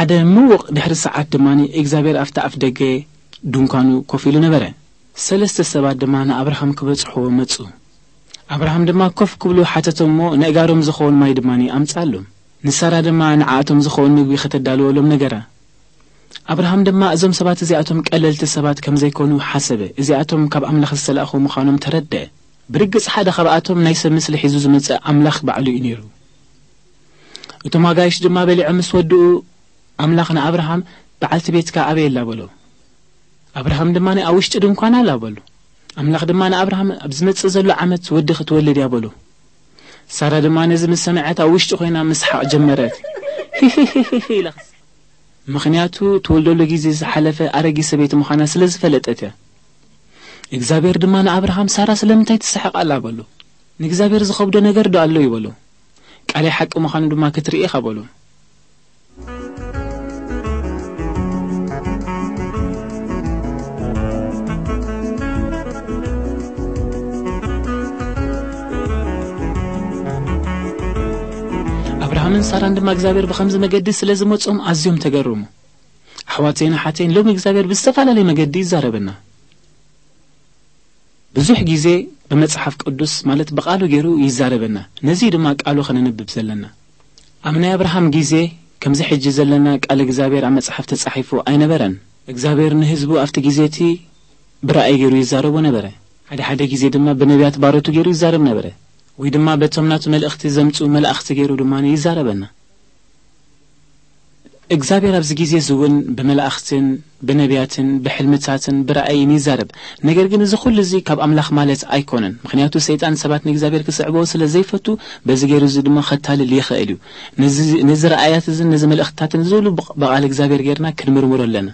ሓደ ምዉቕ ድሕሪ ሰዓት ድማ እግዚኣብሔር ኣብቲ ኣፍ ደገ ድንኳኑ ኮፍ ኢሉ ነበረ። ሰለስተ ሰባት ድማ ንኣብርሃም ክበጽሕዎ መጹ። ኣብርሃም ድማ ኮፍ ክብሉ ሓተቶም እሞ፣ ነእጋሮም ዝኸውን ማይ ድማ ኣምጽኣሎም። ንሳራ ድማ ንዓኣቶም ዝኸውን ምግቢ ከተዳልወሎም ነገራ። ኣብርሃም ድማ እዞም ሰባት እዚኣቶም ቀለልቲ ሰባት ከም ዘይኮኑ ሓሰበ። እዚኣቶም ካብ ኣምላኽ ዝተላእኹ ምዃኖም ተረድአ። ብርግጽ ሓደ ካብኣቶም ናይ ሰብ ምስሊ ሒዙ ዝመጽእ ኣምላኽ ባዕሉ እዩ ነይሩ። እቶም ኣጋይሽ ድማ በሊዖም ምስ ወድኡ፣ ኣምላኽ ንኣብርሃም፣ "በዓልቲ ቤትካ ኣበይ ኣላ?" በሎ። ኣብርሃም ድማ፣ "ኣብ ውሽጢ ድንኳን ኣላ" በሉ። ኣምላኽ ድማ ንኣብርሃም፣ "ኣብ ዝመጽእ ዘሎ ዓመት ወዲ ክትወልድ እያ" በሎ። ሳራ ድማ ነዚ ምስ ሰምዐት ኣብ ውሽጢ ኮይና ምስሓቕ ጀመረት። "ሂሂሂሂ" ኢላ ክስ-፣ ምኽንያቱ ትወልደሉ ግዜ ዝሓለፈ ኣረጊት ሰበይቲ ምዃና ስለ ዝፈለጠት እያ። እግዚኣብሔር ድማ ንኣብርሃም፣ "ሳራ ስለምንታይ ትስሕቕ ኣላ?" በሎ። "ንእግዚኣብሔር ዝኸብዶ ነገር ዶ ኣሎ?" ይበሎ። "ቃለይ ሓቂ ምዃኑ ድማ ክትርኢ ኢኻ" በሎ። ኣብርሃምን ሳራን ድማ እግዚኣብሔር ብኸምዚ መገዲ ስለ ዝመጾም ኣዝዮም ተገረሙ። ኣሕዋተይን ኣሓተይን፣ ሎሚ እግዚኣብሔር ብዝተፈላለየ መገዲ ይዛረበና። ብዙሕ ግዜ ብመጽሓፍ ቅዱስ፣ ማለት ብቓሉ ገይሩ ይዛረበና። ነዚ ድማ ቃሉ ከነንብብ ዘለና። ኣብ ናይ ኣብርሃም ግዜ ከምዚ ሕጂ ዘለና ቃል እግዚኣብሔር ኣብ መጽሓፍ ተጻሒፉ ኣይነበረን። እግዚኣብሔር ንህዝቡ ኣብቲ ግዜ እቲ ብራእይ ገይሩ ይዛረቦ ነበረ። ሓደ ሓደ ግዜ ድማ ብነቢያት ባሮቱ ገይሩ ይዛረብ ነበረ። ወይ ድማ በቶም ናቱ መልእኽቲ ዘምጽኡ መላእኽቲ ገይሩ ድማ ይዛረበና። እግዚኣብሔር ኣብዚ ግዜ እዚ እውን ብመላእኽትን ብነቢያትን ብሕልምታትን ብራእይን ይዛረብ። ነገር ግን እዚ ኩሉ እዚ ካብ ኣምላኽ ማለት ኣይኮነን። ምኽንያቱ ሰይጣን ሰባት ንእግዚኣብሔር ክስዕብዎ ስለ ዘይፈቱ፣ በዚ ገይሩ እዚ ድማ ከታልል ይኽእል እዩ። ነዚ፣ ነዚ ራእያት እዝን ነዚ መልእኽትታትን እዚ ሁሉ ብቕ-፣ ብቓል እግዚኣብሔር ገይርና ክንምርምሮ ኣለና።